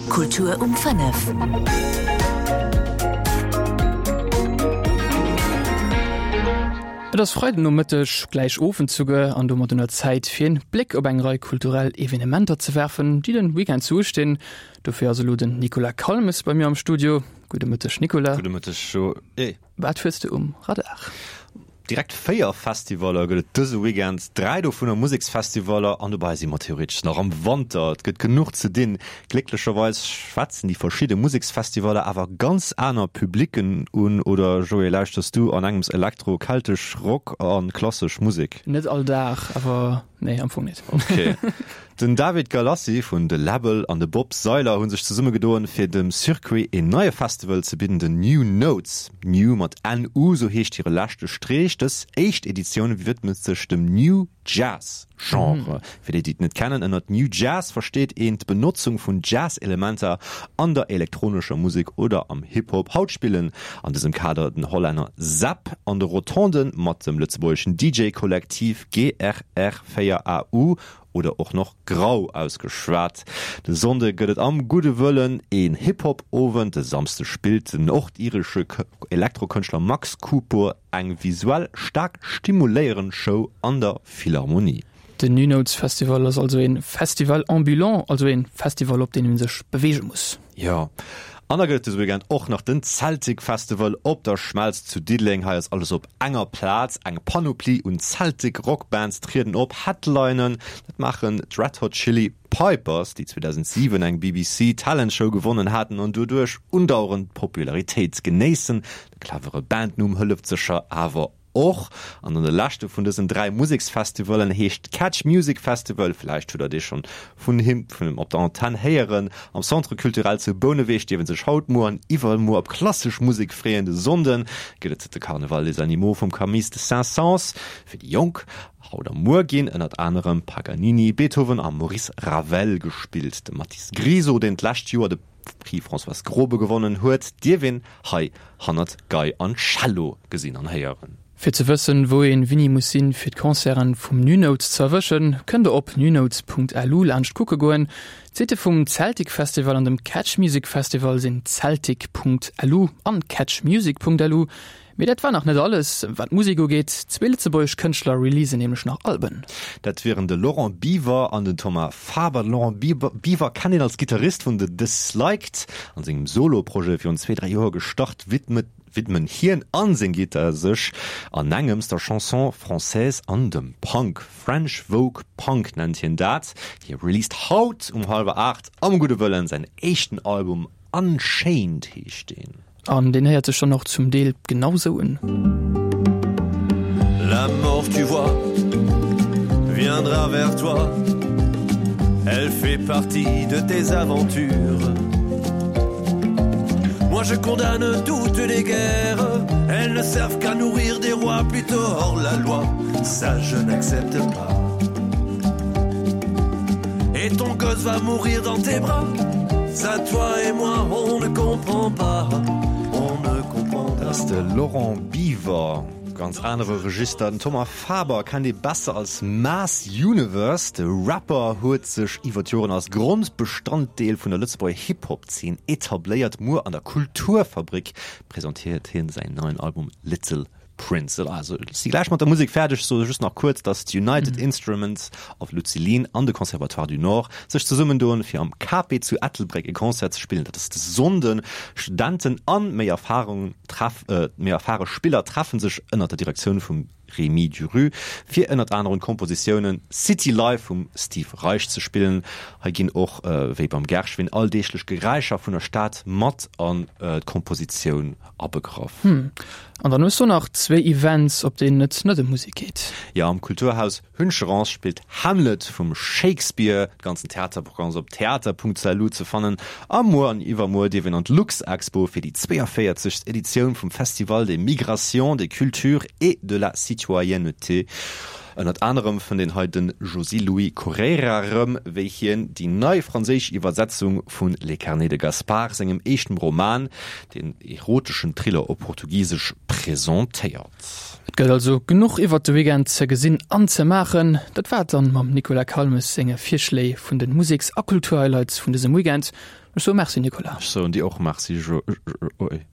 Kultur um 5. Et ass Freidenomëtteg, gläich Owend souguer, an domat un der Zäit fir en Bléck op eng Rei kulturell Evenementer ze werfen, déi den Weekend sou ustinn. Dofir ass elo den Nicolas Calmes bei mir am Studio. Gudde Mëtteg Nicolas. Gudde Mëtteg Joé. Wat hues de um Radar? Direkt 4 Festivaller gëtt et dëse Weekend, 3 dovunner Museksfestivaller an dobäi si mer theoretesch nach am Wanter. Et gëtt genuch ze dinn. Glécklecherweis schwätzen déi verschidde Museksfestivaller awer ganz aner Publicken un. Oder Joé, lauschters du an engems Elektro, keltesch, Rock a klassesch Musek? Net all Dag, awer nee, am Fong net. Ok. Den David Galassi vun The Label an de Bob Seiler hu sech zesummegedoen, fir dem Circuit een neie Festival ze bidden, den New Notes. New mat NU, sou heescht hire leschte Streech. Dës éischt Editioun widmet sech dem New Jazz Genre. Fir déi, déi et net kennen, ënnert New Jazz versteet een d'Benotzung vun Jazz-Elementer an der elektronescher Musek oder am Hip-Hop. Haut spillen an dësem Kader den Hollänner Zapp an de Rotonden mat dem lëtzebuergeschen DJ-Kollektiv GRR4AU oder och noch grau ausgeschwat. De Sonnde gëtt et am Gudde Wëllen een Hip-Hop-Owend, de Samsde spillt den nordiresche Elektrokënschtler Max Cooper eng visuell staark stimuléierend Show an der Philharmonie. Den New Notes Festival ass also een Festival ambulant, also een Festival op deen een sech beweege muss. Jo, an da gëtt et dëse Weekend och nach den Celtic Festival op der Schmelz zu Diddeleng. Hei ass alles op enger Plaz, eng Panoplie un Celtic Rock Bands trieden op. Headlinen, dat maachen d'Red Hot Chili Pipers, déi 2007 eng BBC Talent Show gewonnen haten an doduerch undauerend Popularitéit genéissen. De clevere Bandnumm hëlleft sécher awer Och an dann de leschte vun dësen 3 Museksfestivallen heescht Catch Music Festival, vläicht hutt der dee schonn vun him vun him op der Antenn héieren. Am Centre Culturel zu Bouneweg dierf een sech haut, muer an iwwermuer op klassesch Musek freeën. De Sonnde gëtt et de Carnaval des Animaux vum Camille de Saint-Saëns. Fir déi Jonk haut a muer ginn ënnert anerem Paganini, Beethoven a Maurice Ravel gespillt. De Mathis Griso, deen d'lescht Joer de Prix Françoise Grobe gewonnen huet, dierf een hei hannert Gei an Cello gesinn an héieren. Fir ze wëssen, wou een wini muss sinn, fir d'Concerten vum Nunotes ze erwëschen, kënnt der op nunotes.lu laanscht kucke goen. D'Sitte vum Celtic Festival an dem Catch Music Festival sinn celtic.lu an catchmusic.lu. Mee dat war nach net alles, wat d'Musek ugeet. Zwee lëtzebuergesch Kënschtler releasen nämlech nach Alben. Dat wieren de Laurent Biver an den Thomas Faber. De Laurent Biver kennt een als Gittarist vun The Disliked. An sengem Solo-Projet virun zwee, dräi Joer gestart, widmet widmen hien an seng Gittar sech an engems der Chanson française an dem Punk. French Vogue Punk nennt hien dat. Hie released haut um hallwer 8 am Gudde Wëllen säin éischten Album Unchained heescht deen. An deen héiert sech dann och zum Deel genau sou un. La mort tu vois viendra vers toi Elle fait partie de tes aventures Moi je condamne toutes les guerres Elles ne servent qu'à nourrir des rois plutôt hors la loi Ça je n'accepte pas Et ton gosse va mourir dans tes bras Ça toi et moi on ne comprend pas On ne comprend Dat ass de Laurent Biver. Ganz anere Register. Den Thomas Faber kennt ee besser als Mass Universe. De Rapper huet sech iwwer d'Joren als Grondbestanddeel vun der Lëtzebuerger Hip-Hop-Zeen etabléiert. Muer an der Kulturfabrik presentéiert hien säin neien Album Little Prince. Also ech si gläich mat der Musek fäerdeg, soe just nach kuerz, datt d'United Instruments of Lucilin an de Conservatoire du Nord sech zesummendoen, fir am Cape zu Ettelbréck e Concert ze spillen. Dat ass de Sonnden. Studenten an méi Erfarung treff, méi erfare Spiller treffe sech ënnert der Direktioun vum Rémi Duru, fir ënnert anerem d'Kompositiounen City Life vum Steve Reich ze spillen. Hei ginn och, wéi beim Gershwin, alldeeglech Geräischer vun der Stad mat an d'Kompositioun abegraff. Hm, an dann hues du nach zwéi Events, op deenen et net ëm Musek geet. Jo, am Kulturhaus Hüncherance spillt Hamlet vum Shakespeare. De ganzen Theaterprogramm ass op theater.lu ze fannen. A muer an iwwermuer dierf een an d'Luxexpo fir déi 42. Editioun vum Festival des Migrations, des Cultures et de la Citoyenneté. Ënnert anerem fënnt een hei de Josy Louis Correira erëm, wéi hien déi nei franséisch Iwwersetzung vun Les Carnets de Gaspar, sengem éischten Roman, deen eroteschen Thriller op Portugisesch, presentéiert. Et gëtt also genuch iwwert de Weekend ze gesinn an ze maachen. Dat war et dann mam Nicolas Calmes senge Virschléi vun de Museks a Kulturhighlights vun dësem Weekend. Ech soe Merci Nicolas. Ech soen dir och Merci Joé.